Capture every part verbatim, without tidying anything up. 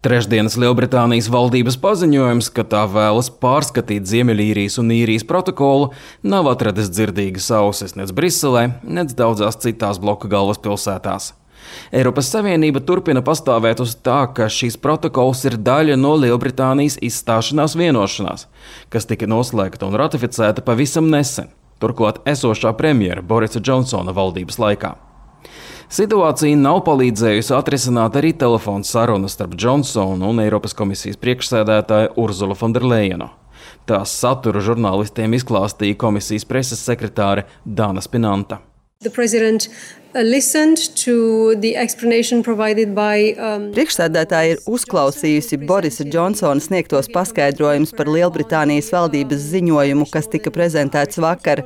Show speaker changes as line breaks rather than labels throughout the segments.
Trešdienas Lielbritānijas valdības paziņojums, ka tā vēlas pārskatīt Ziemeļīrijas un Īrijas protokolu, nav atradis dzirdīgas ausis nec Briselē, nec daudzās citās bloka galvaspilsētās. Eiropas Savienība turpina pastāvēt uz tā, ka šīs protokols ir daļa no Lielbritānijas izstāšanās vienošanās, kas tika noslēgta un ratificēta pavisam nesen, turklāt esošā premjera Borisa Džonsona valdības laikā. Situācija nav palīdzējusi atrisināt arī telefona sarunas starp Džonsonu un Eiropas komisijas priekšsēdētāju Urzulu Fonderlejenu. Tās saturu žurnālistiem izklāstīja komisijas preses sekretāre Dana Spinanta.
The president listened to the explanation provided by um...
Priekšsēdētāja ir uzklausījusi Borisa Džonsona sniegtos paskaidrojumus par Lielbritānijas valdības ziņojumu, kas tika prezentēts vakar.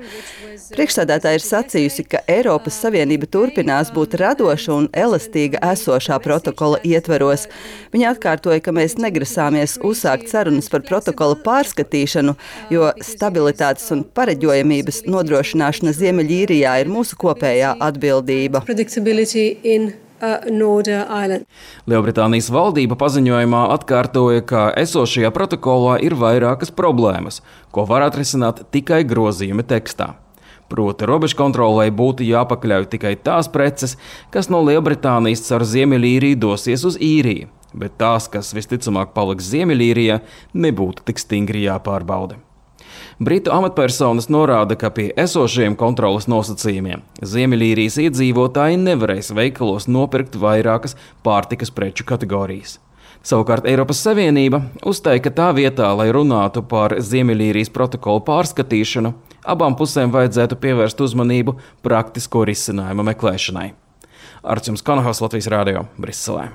Priekšsēdētāja ir sacījusi, ka Eiropas Savienība turpinās būt radoša un elastīga esošā protokola ietveros. Viņa atkārtoja, ka mēs negrasāmies uzsākt sarunas par protokola pārskatīšanu, jo stabilitātes un pareģojamības nodrošināšana Ziemeļīrijā ir mūsu kopējā atbildība.
Lielbritānijas valdība paziņojumā atkārtoja, ka esošajā protokolā ir vairākas problēmas, ko var atrisināt tikai grozījumi tekstā. Proti, robežkontrolei būtu jāpakļauj tikai tās preces, kas no Lielbritānijas caur Ziemeļīriju dosies uz Īriju, bet tās, kas visticamāk paliks Ziemeļīrijā, nebūtu tik stingri jāpārbauda. Britu amatpersonas norāda, ka pie esošajiem kontroles nosacījumiem Ziemeļīrijas iedzīvotāji nevarēs veikalos nopirkt vairākas pārtikas preču kategorijas. Savukārt Eiropas Savienība uzstāja, ka tā vietā, lai runātu par Ziemeļīrijas protokolu pārskatīšanu, abām pusēm vajadzētu pievērst uzmanību praktisko risinājumu meklēšanai. Arts jums Kanahos, Latvijas Rādio, Briselē.